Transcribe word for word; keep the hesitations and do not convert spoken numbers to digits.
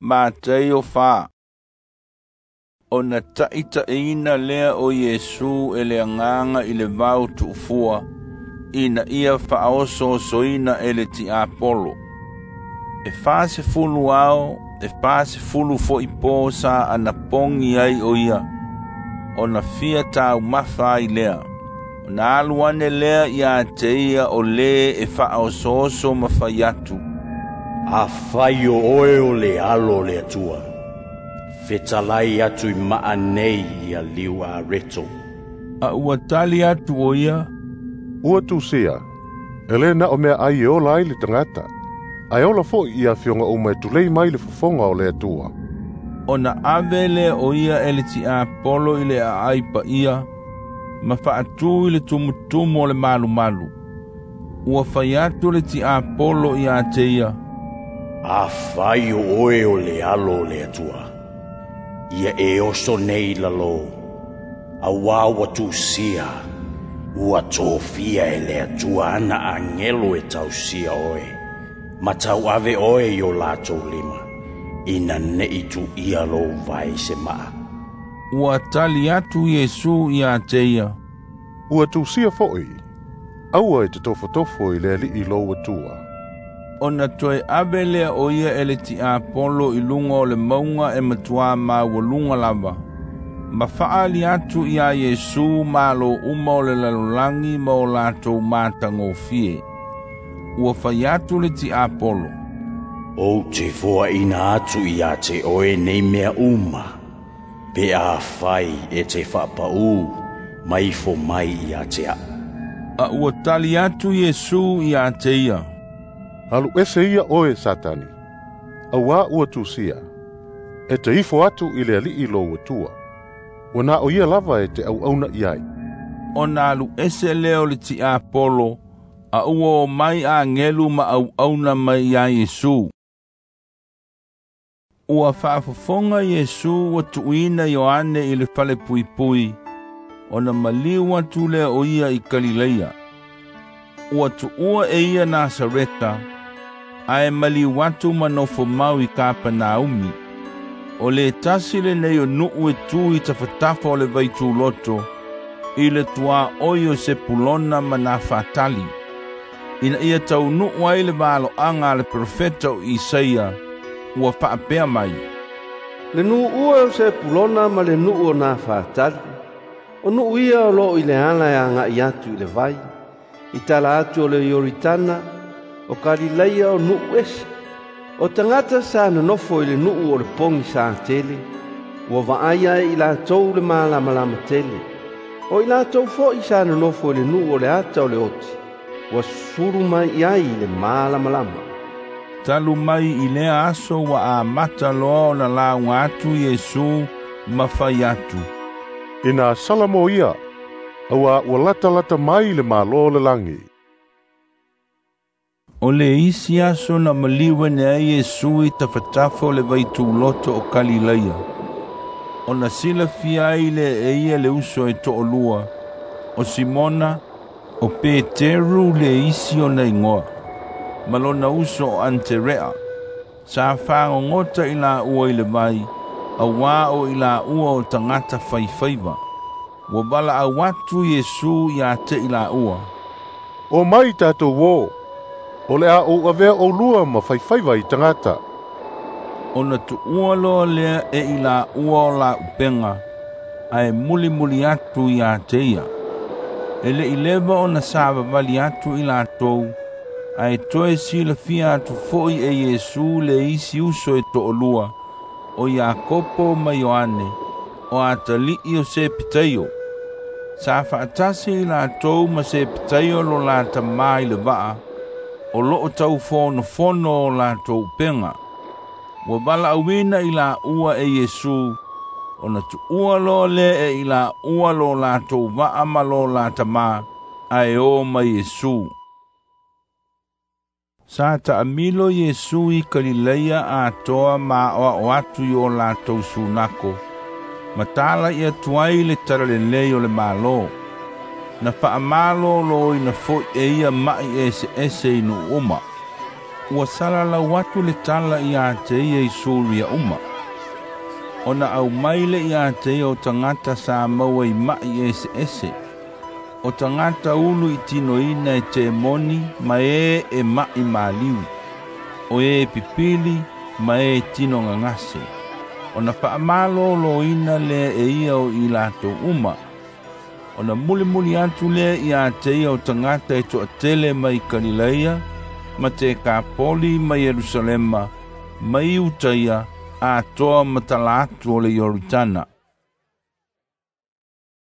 Mateio fa. Ona taʻitaʻiina lea o Iesu e le Agaga i le vao tuufua, ina ia faaosoosoina e le tiapolo. E fasefulu ao, e fasefulu foʻi po sa anapogi ai o ia, ona fia taumafa ai lea. Ona alu ane lea iā te ia o lē e faaosooso ma fai atu. Afai o oe o le Alo o le Atua, fetalai atu i maanei ia liu areto. A ua tali atu o ia, Ua tusia, e le na o mea ai e ola ai le tagata, ae ola foʻi i afioga uma e tulei mai le fofoga o le Atua. Ona ave lea o ia e le tiapolo i le aai paia, ma faatū i le tumutumu o le malumalu. Ua fai atu le tiapolo iā te ia, Afai o oe o le Alo o le Atua, ia e oso nei lalo, auā ua tusia, ua tofia e le Atua ana agelo e tausia oe, ma tauave oe i o latou lima, ina neʻi tuʻia lou vae i se maa. Ua tali atu Iesu iā te ia, Ua tusia foʻi, aua e te tofotofo i le Alii lou Atua. Ona toe ave lea o ia e le tiapolo i luga o le mauga e matuā maualuga lava, ma faaali atu iā Iesu malo uma o le lalolagi ma o latou matagofie. Ua fai atu le tiapolo, Ou te foaʻina atu iā te oe nei mea uma, pe afai e te faapaū ma ifo mai iā te aʻu. A ua tali atu Iesu iā te ia, Alu ese ia oe Satani, auā ua tusia, e te ifo atu i le Alii lou Atua, ua na o ia lava e te auauna i ai. Ona alu ese lea o le tiapolo, a ua omai agelu ma auauna mai iā Iesu. Ua faafofoga Iesu ua tuuina Ioane i le falepuipui, ona maliu atu lea o ia i Kalileia. Ua tuua e ia Nasareta, ae maliu atu ma nofo mau i Kapanaumi. O le tasi lenei o nuu e tu i tafatafa o le vaituloto, i le tuaʻoi o Sepulona ma Nafatali, ina ia taunuu ai le valoaga a le perofeta o Isaia, ua faapea mai, Le nuu ua o Sepulona ma le nuu o Nafatali, o nuu ia o loo i le ala e agaʻi atu i le vai, i tala atu o le Ioritana, o Kalileia o nuu ese. O tagata sa nonofo i le nuu o le pogi sa tele, ua vaaia e i latou le malamalama tele. O i latou foʻi sa nonofo i le nuu o le ata o le oti, ua sulu mai i ai i le malamalama. Talu mai i lea aso ua amata loa ona lauga atu Iesu ma fai atu, Ina salamo ia, auā ua latalata mai le Malo o le lagi. O le isi aso na maliu ane ai Iesu i tafatafa o le vaituloto o Kalileia. Ona silafia ai lea e ia le uso e toʻalua, o Simona, o Peteru le isi ona igoa, ma lona uso o Aterea. Sa fagogota i laua i le vai, auā o i laua o tagata faifaiva. Ua valaau atu Iesu iā te i laua, O mai tatou ō, o le a ou avea oulua ma faifaiva i tagata. Ona tuua loa lea e i laua o la upega, ae mulimuli atu iā te ia. E leʻi leva ona savavali atu i latou, ae toe silafia atu foʻi e Iesu le isi uso e toʻalua, o Iakopo ma Ioane, o atalii o Sepetaio. Sa faatasi i latou ma Sepetaio lo la tamā i le vaa, o loo taufonofono o latou upega. Ua valaauina i laua e Iesu, ona tuua loa lea e i laua lo latou vaa ma lo la tamā, ae o ma Iesu. Sa taamilo Iesu i Kalileia atoa ma aoao atu i o latou sunako, ma talaʻi atu ai le talalelei o le Malo. Na faamalōlōina foʻi e ia maʻi eseese i nuu uma. Ua salalau atu le tala ia te ia i Suria uma. Ona aumai le ia te ia o tagata sa maua i ma'i eseese, o tagata ulu i tinoina e temoni ma e e ma'i maliu, o e pipili ma e tino gagase. Ona faamalōlōina lea e ia o i latou uma. Ona mulimuli atu lea ia te ia o tagata e toatele mai Kalileia, ma Tekapoli ma Ierusalema, ma Iutaia, atoa ma tala atu o le Ioritana.